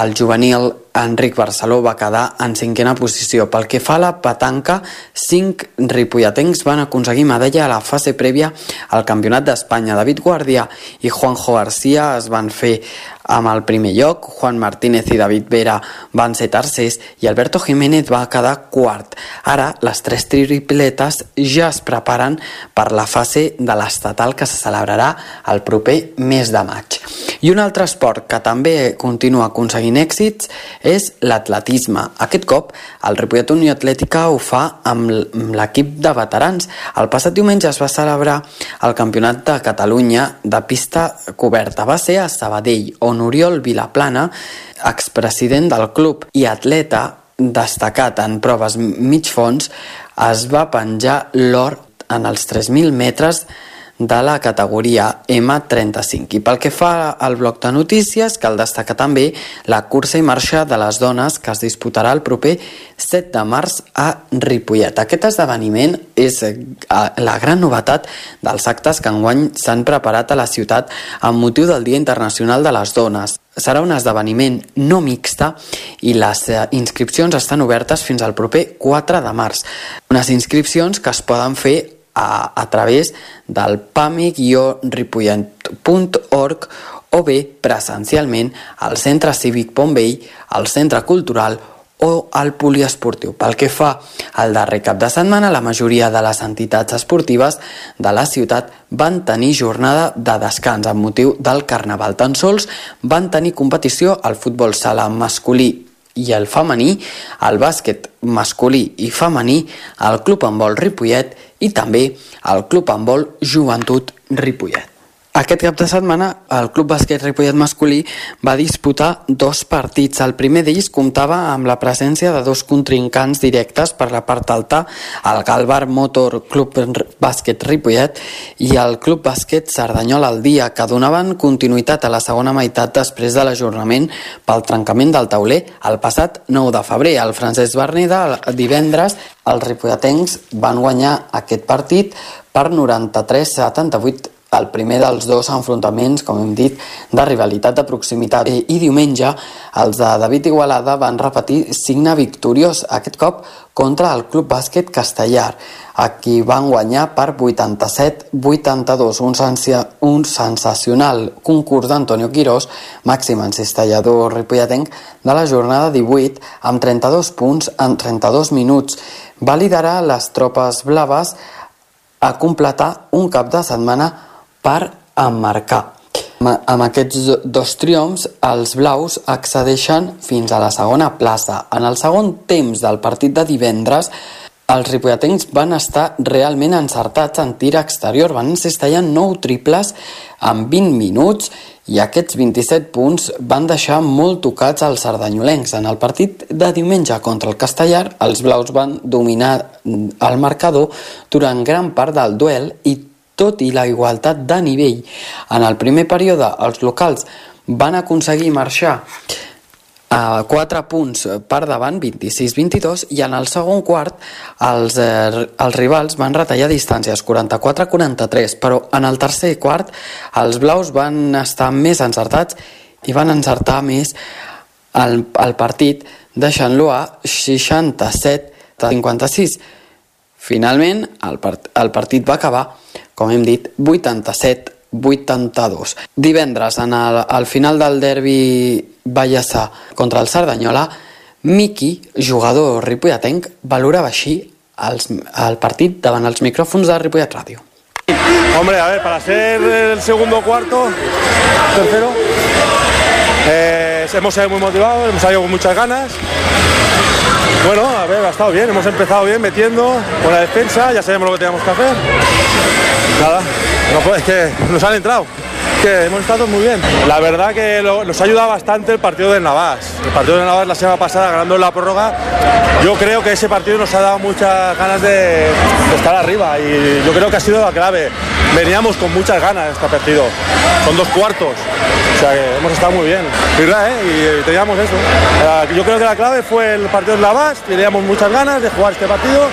el juvenil Enric Barceló va quedar en 5a posició. Pel que fa a la petanca, 5 ripolletens van aconseguir medalla a la fase prèvia al Campionat d'Espanya. David Guardià i Juanjo García es van fer amb el primer lloc, Juan Martínez i David Vera van ser tercers i Alberto Jiménez va quedar quart. Ara, les 3 tripletes ja es preparen per la fase de l'estatal que se celebrarà el proper mes de maig. I un altre esport que també continua aconseguint èxits és l'atletisme. Aquest cop, el Ripollet Unió Atlètica ho fa amb l'equip de veterans. El passat diumenge es va celebrar el Campionat de Catalunya de pista coberta. Va ser a Sabadell, on Oriol Vilaplana, expresident del club i atleta destacat en proves mig fons, es va penjar l'or en els 3.000 metres de la categoria M35. I pel que fa al bloc de notícies, cal destacar també la cursa i marxa de les dones que es disputarà el proper 7 de març a Ripollet. Aquest esdeveniment és la gran novetat dels actes que enguany s'han preparat a la ciutat amb motiu del Dia Internacional de les Dones. Serà un esdeveniment no mixta i les inscripcions estan obertes fins al proper 4 de març. Unes inscripcions que es poden fer a través del pame-ripollet.org o bé presencialment al Centre Cívic Pont Vell, al Centre Cultural o al Poliesportiu. Pel que fa al darrer cap de setmana, la majoria de les entitats esportives de la ciutat van tenir jornada de descans amb motiu del Carnaval. Tan sols van tenir competició al futbol sala masculí i el femení, el bàsquet masculí i femení, el Club Handbol Ripollet i també el Club Handbol Joventut Ripollet. Aquest cap de setmana el Club Bàsquet Ripollet masculí va disputar 2 partits. El primer d'ells comptava amb la presència de 2 contrincants directes per la part alta, el Galvar Motor Club Bàsquet Ripollet i el Club Bàsquet Cerdanyola al Dia, que donaven continuïtat a la segona meitat després de l'ajornament pel trencament del tauler el passat 9 de febrer. El Francesc Berneda, divendres, els ripolletens van guanyar aquest partit per 93-78, el primer dels 2 enfrontaments, com hem dit, de rivalitat de proximitat. I diumenge, els de David Igualada van repetir signe victoriós, aquest cop contra el Club Bàsquet Castellar, a qui van guanyar per 87-82, un sensacional concurs d'Antonio Quirós, màxim encistellador ripolletenc de la jornada 18, amb 32 punts en 32 minuts. Va liderar les tropes blaves a completar un cap de setmana per emmarcar. Amb aquests 2 triomfs, els blaus accedeixen fins a la segona plaça. En el segon temps del partit de divendres, els ripolletens van estar realment encertats en tir exterior. Van encestallar 9 triples en 20 minuts i aquests 27 punts van deixar molt tocats als cerdanyolencs. En el partit de diumenge contra el Castellar, els blaus van dominar el marcador durant gran part del duel i tot i la igualtat de nivell. En el primer període, els locals van aconseguir marxar a 4 punts per davant, 26-22, i en el segon quart els rivals van retallar distàncies, 44-43, però en el tercer quart els blaus van estar més encertats i van encertar més el partit, deixant-lo a 67-56. Finalment, el partit va acabar, com hem dit, 87-82. Divendres, al final del derbi vallesà contra el Cerdanyola, Miki, jugador ripolletenc, valorava així el partit davant els micròfons de Ripollet Ràdio. Hombre, a ver, para ser el segundo cuarto, tercero, hemos salido muy motivados, hemos salido con muchas ganas. Bueno, a ver, ha estado bien, hemos empezado bien metiendo, buena defensa, ya sabemos lo que teníamos que hacer. Nada, no, es que nos han entrado, que hemos estado muy bien. La verdad que nos ha ayudado bastante el partido del Navàs. El partido del Navàs la semana pasada ganando en la prórroga, yo creo que ese partido nos ha dado muchas ganas de estar arriba y yo creo que ha sido la clave. Veníamos con muchas ganas de este partido, son 2 cuartos, o sea que hemos estado muy bien. Y teníamos eso. Yo creo que la clave fue el partido del Navàs, teníamos muchas ganas de jugar este partido,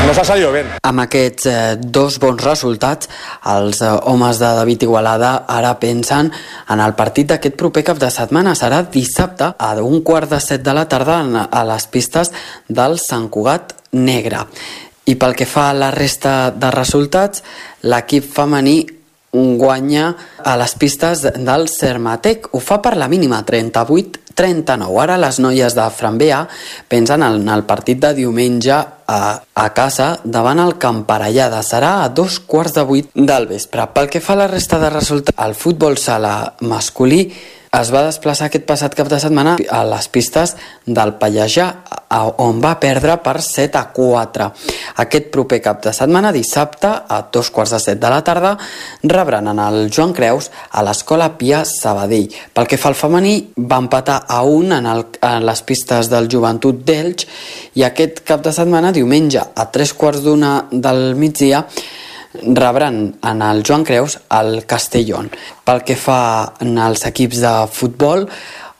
nos ha salido bien. Amb aquests 2 bons resultats, els homes de David Igualada ara pensen en el partit d'aquest proper cap de setmana. Serà dissabte a 1:15 de la tarda a les pistes del Sant Cugat Negre. I pel que fa a la resta de resultats, l'equip femení guanya a les pistes del Sermatec. Ho fa per la mínima, 38-39. Ara les noies de Franbea pensen en el partit de diumenge a casa davant el Camparellada. Serà a 7:15 del vespre. Pel que fa a la resta de resultats, el futbol sala masculí es va desplaçar aquest passat cap de setmana a les pistes del Pallejà, on va perdre per 7-4. Aquest proper cap de setmana, dissabte, a 2:15 de la tarda, rebran en el Joan Creus a l'Escola Pia Sabadell. Pel que fa al femení, va empatar a 1 en les pistes del Joventut d'Elx i aquest cap de setmana, diumenge, a 3:15 del migdia, rebran en el Joan Creus al Castellón. Pel que fa als equips de futbol,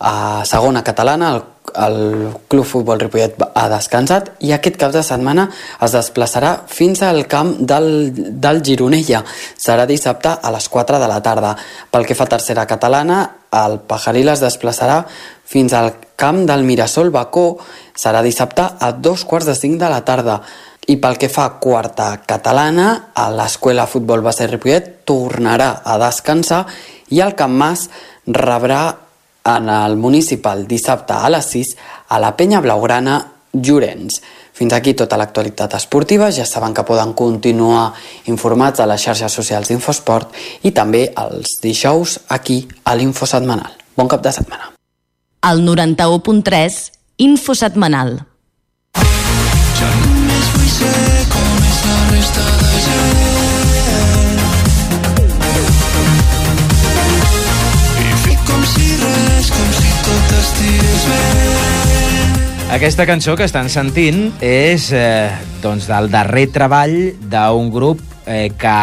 a segona catalana, el Club Futbol Ripollet ha descansat i aquest cap de setmana es desplaçarà fins al camp del Gironella. Serà dissabte a les 4 de la tarda. Pel que fa a tercera catalana, el Pajaril es desplaçarà fins al camp del Mirasol Bacó. Serà dissabte a 2:45 de la tarda. I pel que fa a quarta catalana, a l'Escola Futbol Base Ripollet tornarà a descansar i el Camp Mas rebrà en el municipal dissabte a les 6 a la Penya Blaugrana Llorenç. Fins aquí tota l'actualitat esportiva. Ja saben que poden continuar informats a les xarxes socials d'Infosport i també els dijous aquí a l'Info Setmanal. Bon cap de setmana. Al 91.3, Info Setmanal. Aquesta cançó que estan sentint és doncs del darrer treball d'un grup que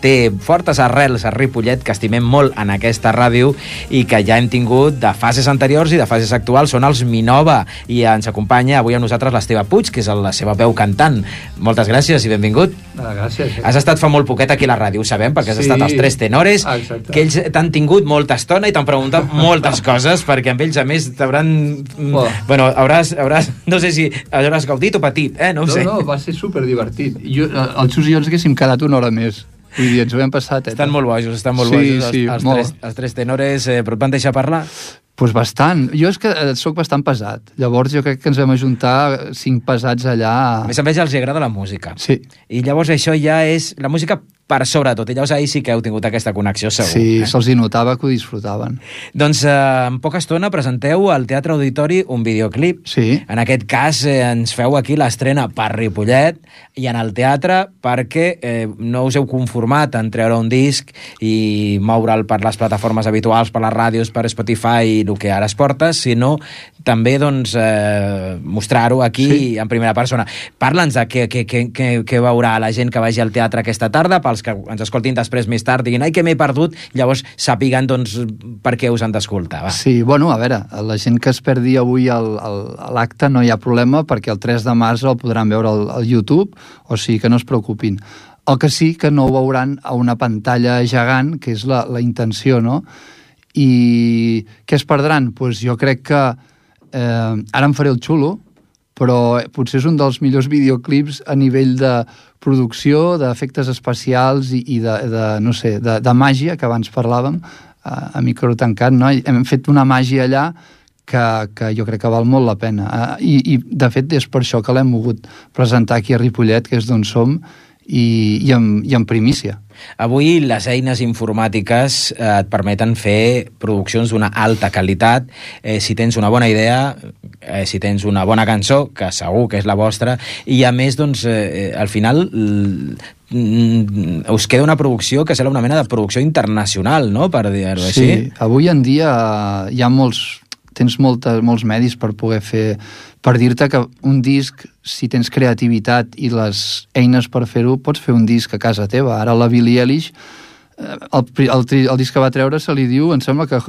té fortes arrels a Ripollet, que estimem molt en aquesta ràdio i que ja hem tingut de fases anteriors i de fases actuals. Són els Minova i ens acompanya avui amb nosaltres l'Esteve Puig, que és la seva veu cantant. Moltes gràcies i benvingut. Gràcies. Has estat fa molt poquet aquí a la ràdio, ho sabem, perquè has estat als Tres Tenores, que ells t'han tingut molta estona i t'han preguntat moltes coses, perquè amb ells, a més, t'hauran... Bueno, hauràs... No sé si hauràs gaudit o patit, no ho sé. No, va ser superdivertit. Els Xus i jo ens haguéssim quedat una hora més. Vull dir, ens ho hem passat. Estan molt bojos, els Tres Tenores, però et van deixar parlar? Doncs bastant. Jo és que sóc bastant pesat. Llavors jo crec que ens vam ajuntar 5 pesats allà. A més els agrada la música. Sí. I llavors això ja és... La música per sobretot. I llavors ahir sí que heu tingut aquesta connexió, segur. Sí, se'ls hi notava que ho disfrutaven. Doncs en poca estona presenteu al Teatre Auditori un videoclip. Sí. En aquest cas ens feu aquí l'estrena per Ripollet i en el teatre perquè no us heu conformat en treure un disc i moure'l per les plataformes habituals, per les ràdios, per Spotify i el que ara es porta, sinó també doncs, mostrar-ho aquí en primera persona. Parla'ns de què veurà la gent que vagi al teatre aquesta tarda, pels que ens escoltin després més tard, diguin, ai, que m'he perdut, llavors sàpiguen doncs, per què us han d'escoltar. Sí, bueno, a veure, la gent que es perdi avui l'acte no hi ha problema, perquè el 3 de març el podran veure al YouTube, o sigui que no es preocupin. El que sí que no ho veuran a una pantalla gegant, que és la intenció, no? I què es perdran? Doncs jo crec que ara em faré el xulo, però potser és un dels millors videoclips a nivell de producció, d'efectes especials i no sé, de màgia, que abans parlàvem, a micro tancat, no? Hem fet una màgia allà que jo crec que val molt la pena. I de fet, és per això que l'hem volgut presentar aquí a Ripollet, que és d'on som, i en primícia. Avui les eines informàtiques et permeten fer produccions d'una alta qualitat. Si tens una bona idea, si tens una bona cançó, que segur que és la vostra, i a més, doncs, al final us queda una producció que sembla una mena de producció internacional, no?, per dir-ho així. Sí, avui en dia hi ha tens molts medis per poder fer, per dir-te que un disc, si tens creativitat i les eines per fer-ho, pots fer un disc a casa teva. Ara la Billie Eilish, el disc que va treure se li diu, em sembla que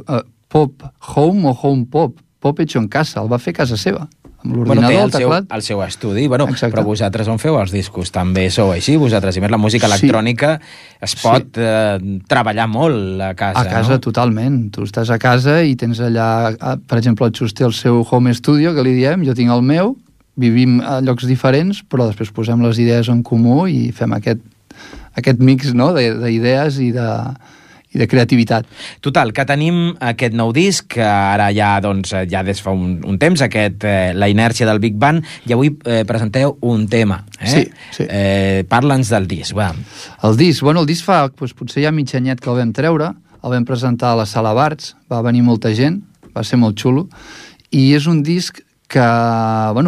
Pop Home o Home Pop, Pop hecho en casa, el va fer a casa seva, amb l'ordinador, el teclat. El seu estudi, però vosaltres on feu els discos? També sou així, vosaltres? I més la música electrònica es pot treballar molt a casa, a casa, no? Totalment. Tu estàs a casa i tens allà, per exemple, el Xus té el seu home studio, que li diem, jo tinc el meu, vivim a llocs diferents, però després posem les idees en comú i fem aquest mix, no?, d'idees i de creativitat. Total, que tenim aquest nou disc, que ara ja des fa un temps, La inèrcia del Big Bang, i avui presenteu un tema. Sí. Parla'ns del disc, va. El disc fa, potser ja mig anyet que el vam treure, el vam presentar a la Sala Barts, va venir molta gent, va ser molt xulo, i és un disc que,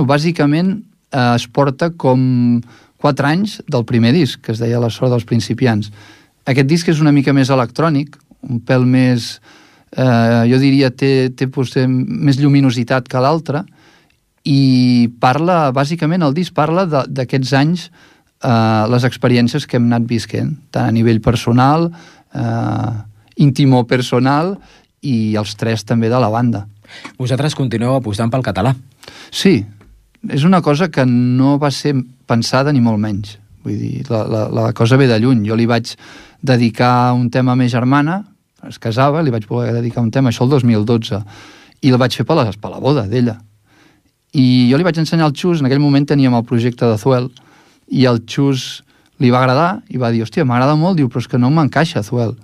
bàsicament es porta com 4 anys del primer disc, que es deia La sort dels principiants. Aquest disc és una mica més electrònic, un pèl més, jo diria, té potser més lluminositat que l'altre, i parla, bàsicament, el disc parla d'aquests anys, les experiències que hem anat visquent, tant a nivell personal, íntimo-personal, i els 3 també de la banda. Vosaltres continueu apostant pel català. Sí, és una cosa que no va ser pensada ni molt menys. Vull dir, la cosa ve de lluny. Jo li vaig dedicar un tema a ma germana, es casava, li vaig poder dedicar un tema, això el 2012, i el vaig fer per la boda d'ella. I jo li vaig ensenyar al Xus, en aquell moment teníem el projecte de Zuel, i el Xus li va agradar, i va dir, hòstia, m'agrada molt, diu, però és que no m'encaixa Zuel.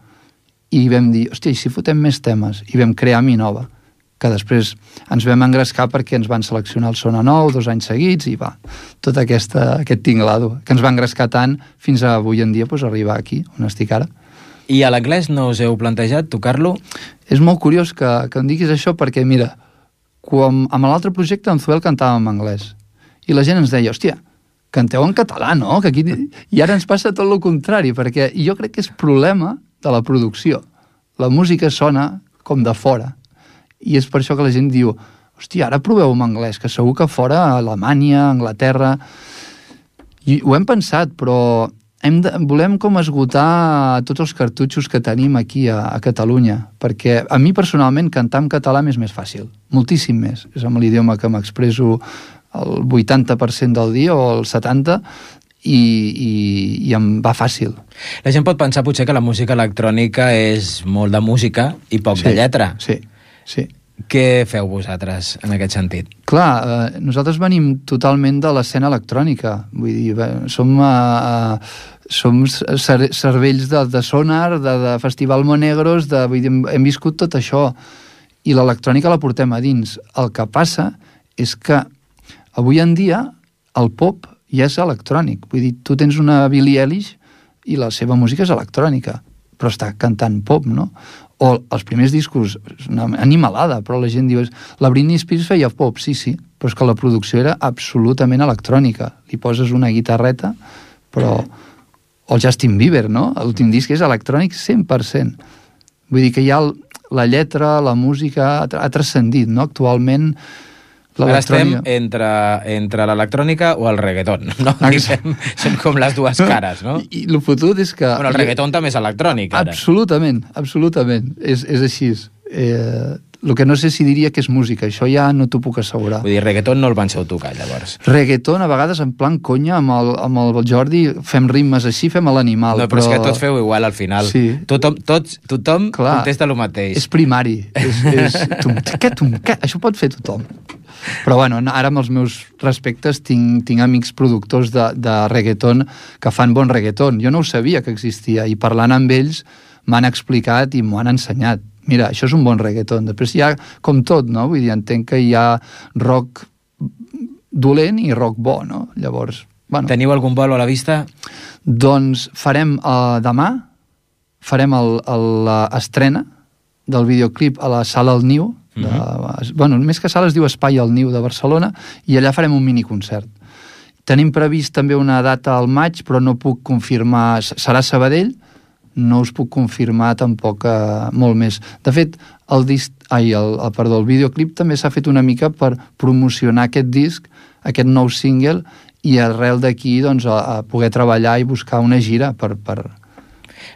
I vam dir, hòstia, i si fotem més temes? I vam crear Mi Nova, que després ens vam engrescar perquè ens van seleccionar el Sona Nou 2 anys seguits i va, tot aquest tinglado, que ens va engrescar tant fins a avui en dia arribar aquí, on estic ara. I a l'anglès no us heu plantejat tocar-lo? És molt curiós que em diguis això perquè, mira, amb l'altre projecte en Zuel cantàvem en anglès i la gent ens deia, hòstia, canteu en català, no? Que aquí... I ara ens passa tot el contrari, perquè jo crec que és problema de la producció. La música sona com de fora. I és per això que la gent diu, hòstia, ara proveu en anglès, que segur que fora a Alemanya, Anglaterra... I ho hem pensat, però volem com esgotar tots els cartutxos que tenim aquí a Catalunya, perquè a mi personalment cantar en català m'és més fàcil, moltíssim més. És amb l'idioma que m'expreso el 80% del dia o el 70%, i em va fàcil. La gent pot pensar potser que la música electrònica és molt de música i poc de lletra. Sí. Què feu vosaltres en aquest sentit? Clar, nosaltres venim totalment de l'escena electrònica. Vull dir, som cervells de Sonar, de Festival Monegros, vull dir, hem viscut tot això. I l'electrònica la portem a dins. El que passa és que avui en dia el pop ja és electrònic. Vull dir, tu tens una Billie Eilish i la seva música és electrònica, però està cantant pop, no? O els primers discos, una animalada, però la gent diu, la Britney Spears feia pop, sí, però és que la producció era absolutament electrònica. Li poses una guitarreta, però... O el Justin Bieber, no? L'últim disc és electrònic 100%. Vull dir que ja la lletra, la música ha transcendit, no? Actualment... Ara estem entre l'electrònica o el reggaeton, no? Són com les dues cares, no? I el fotut és que... Bueno, el reggaeton també és electrònic, ara. Absolutament. És així. El que no sé si diria que és música, això ja no t'ho puc assegurar. Vull dir, reggaeton no el penseu tocar, llavors. Reggaeton, a vegades, en plan conya, amb el Jordi, fem ritmes així, fem a l'animal. No, però és que tots feu igual al final. Sí. Tothom contesta el mateix. És primari. Això pot fer tothom. Però bueno, ara amb els meus respectes tinc amics productors de reggaeton que fan bon reggaeton. Jo no ho sabia que existia i parlant amb ells m'han explicat i m'ho han ensenyat. Mira, això és un bon reggaeton. Després hi ha com tot, no? Vull dir, entenc que hi ha rock dolent i rock bo, no? Llavors Bueno, teniu algun bolo a la vista? Doncs farem demà, farem l'estrena del videoclip a la Sala El Niu, bueno, més que sala es diu Espai El Niu de Barcelona, i allà farem un miniconcert. Tenim previst també una data al maig, però no puc confirmar, serà Sabadell, no us puc confirmar tampoc molt més. De fet, el videoclip també s'ha fet una mica per promocionar aquest disc, aquest nou single, i arrel d'aquí doncs, a poder treballar i buscar una gira per...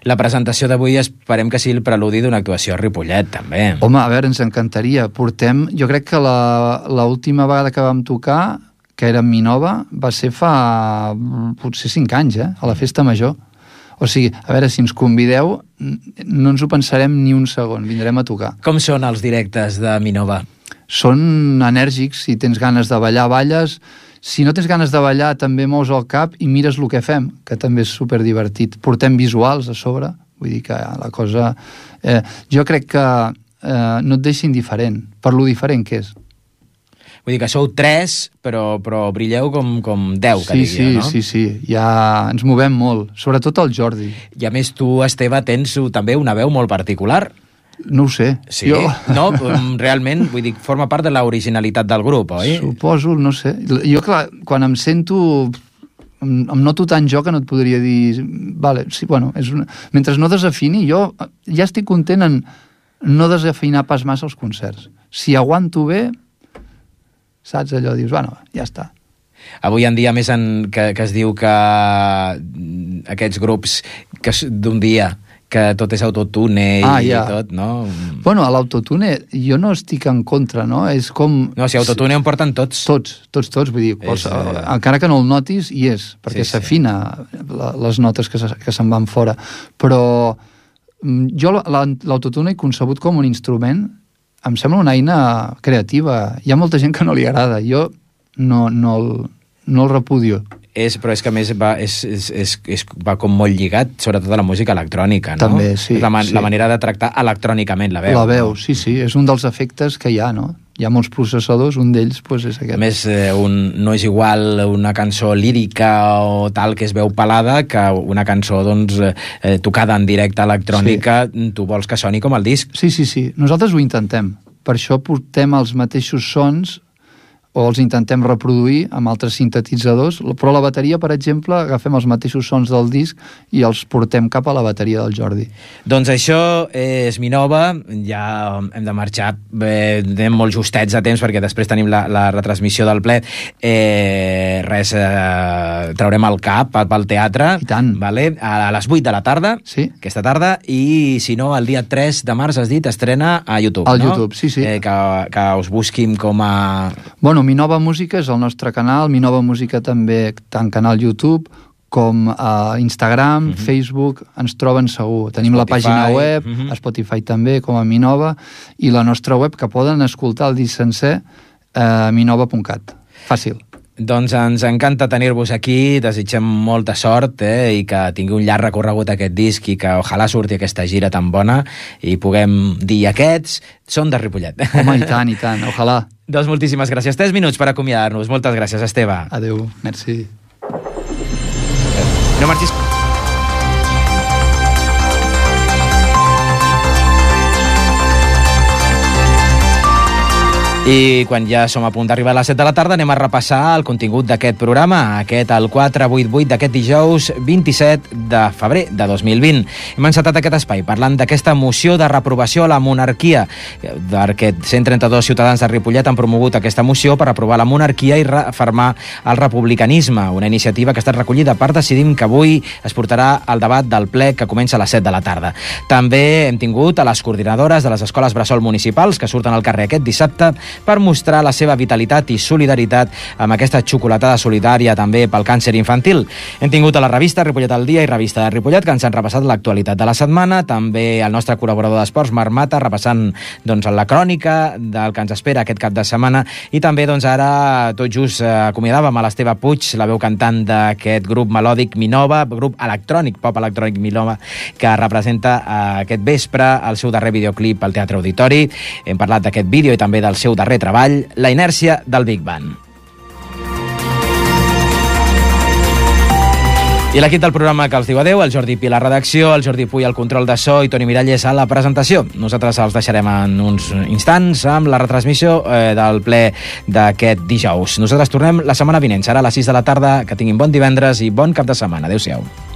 La presentació d'avui esperem que sigui el preludi d'una actuació a Ripollet, també. Home, a veure, ens encantaria. Jo crec que l'última vegada que vam tocar, que era Minova, va ser fa potser 5 anys, a la Festa Major. O sigui, a veure, si ens convideu, no ens ho pensarem ni un segon, vindrem a tocar. Com són els directes de Minova? Són enèrgics, si tens ganes de ballar, balles. Si no tens ganes de ballar, també mous el cap i mires el que fem, que també és superdivertit. Portem visuals a sobre, vull dir que la cosa... jo crec que no et deixa indiferent, per lo diferent que és. Vull dir que sou 3, però brilleu com 10, que diria, no? Sí, ja ens movem molt, sobretot el Jordi. I a més tu, Esteve, tens també una veu molt particular. No ho sé. Sí? No, realment, vull dir, forma part de l'originalitat del grup, oi? Suposo, no sé. Jo, clar, quan em sento... Em noto tan jo que no et podria dir... Vale, sí, bueno, mentre no desafini, jo ja estic content en no desafinar pas massa els concerts. Si aguanto bé, saps allò? Dius, bueno, ja està. Avui en dia, més que es diu que aquests grups d'un dia... que tot és autotune i tot, no? Bueno, a l'autotune jo no estic en contra, no? És com... No, si autotune en porten tots. Tots, vull dir, encara que no el notis, hi és, perquè s'afina les notes que se'n van fora. Però jo l'autotune he concebut com un instrument, em sembla una eina creativa. Hi ha molta gent que no li agrada, jo no el repudio. Però és que a més va com molt lligat, sobretot a la música electrònica, no? També, sí. La manera de tractar electrònicament la veu. La veu, sí, és un dels efectes que hi ha, no? Hi ha molts processadors, un d'ells és aquest. A més, no és igual una cançó lírica o tal que es veu pelada que una cançó tocada en directe electrònica, tu vols que soni com el disc. Sí. Nosaltres ho intentem. Per això portem els mateixos sons o els intentem reproduir amb altres sintetitzadors, però la bateria, per exemple, agafem els mateixos sons del disc i els portem cap a la bateria del Jordi. Doncs això és Minova, ja hem de marxar, anem molt justets a temps perquè després tenim la retransmissió del ple. Traurem el cap pel teatre, i tant. Vale? A les 8 de la tarda, aquesta tarda, i si no, el dia 3 de març, has dit, estrena a YouTube, no? YouTube, sí. Que us busquin com a... Bueno, Minova Música és el nostre canal, Minova Música també tant canal YouTube com a Instagram, Facebook, ens troben segur. Tenim Spotify, la pàgina web, a Spotify també, com a Minova, i la nostra web, que poden escoltar el disc sencer, minova.cat. Fàcil. Doncs ens encanta tenir-vos aquí, desitgem molta sort i que tingui un llarg recorregut aquest disc i que ojalà surti aquesta gira tan bona i puguem dir aquests són de Ripollet. Home, i tant, ojalà. Doncs moltíssimes gràcies. 3 minuts per acomiadar-nos. Moltes gràcies, Esteve. Adéu, merci. No marxis... I quan ja som a punt d'arribar a les 7 de la tarda anem a repassar el contingut d'aquest programa, el 488 d'aquest dijous 27 de febrer de 2020. Hem encetat aquest espai parlant d'aquesta moció de reprovació a la monarquia, perquè 132 ciutadans de Ripollet han promogut aquesta moció per aprovar la monarquia i refermar el republicanisme, una iniciativa que ha estat recollida per Decidim, que avui es portarà al debat del ple que comença a les 7 de la tarda. També hem tingut a les coordinadores de les escoles bressol municipals que surten al carrer aquest dissabte per mostrar la seva vitalitat i solidaritat amb aquesta xocolatada solidària també pel càncer infantil. Hem tingut a la revista Ripollet al dia i revista de Ripollet que ens han repassat l'actualitat de la setmana, també el nostre col·laborador d'esports, Marc Mata, repassant la crònica del que ens espera aquest cap de setmana, i també ara tot just acomiadàvem a l'Esteve Puig, la veu cantant d'aquest grup melòdic Minova, grup electrònic, pop electrònic Minova, que representa aquest vespre el seu darrer videoclip al Teatre Auditori. Hem parlat d'aquest vídeo i també del seu darrer treball, La inèrcia del Big Bang. I l'equip del programa que els diu adeu, el Jordi Pi a la redacció, el Jordi Puy al control de so i Toni Miralles a la presentació. Nosaltres els deixarem en uns instants amb la retransmissió del ple d'aquest dijous. Nosaltres tornem la setmana vinent, serà a les 6 de la tarda. Que tinguin bon divendres i bon cap de setmana. Adéu-siau.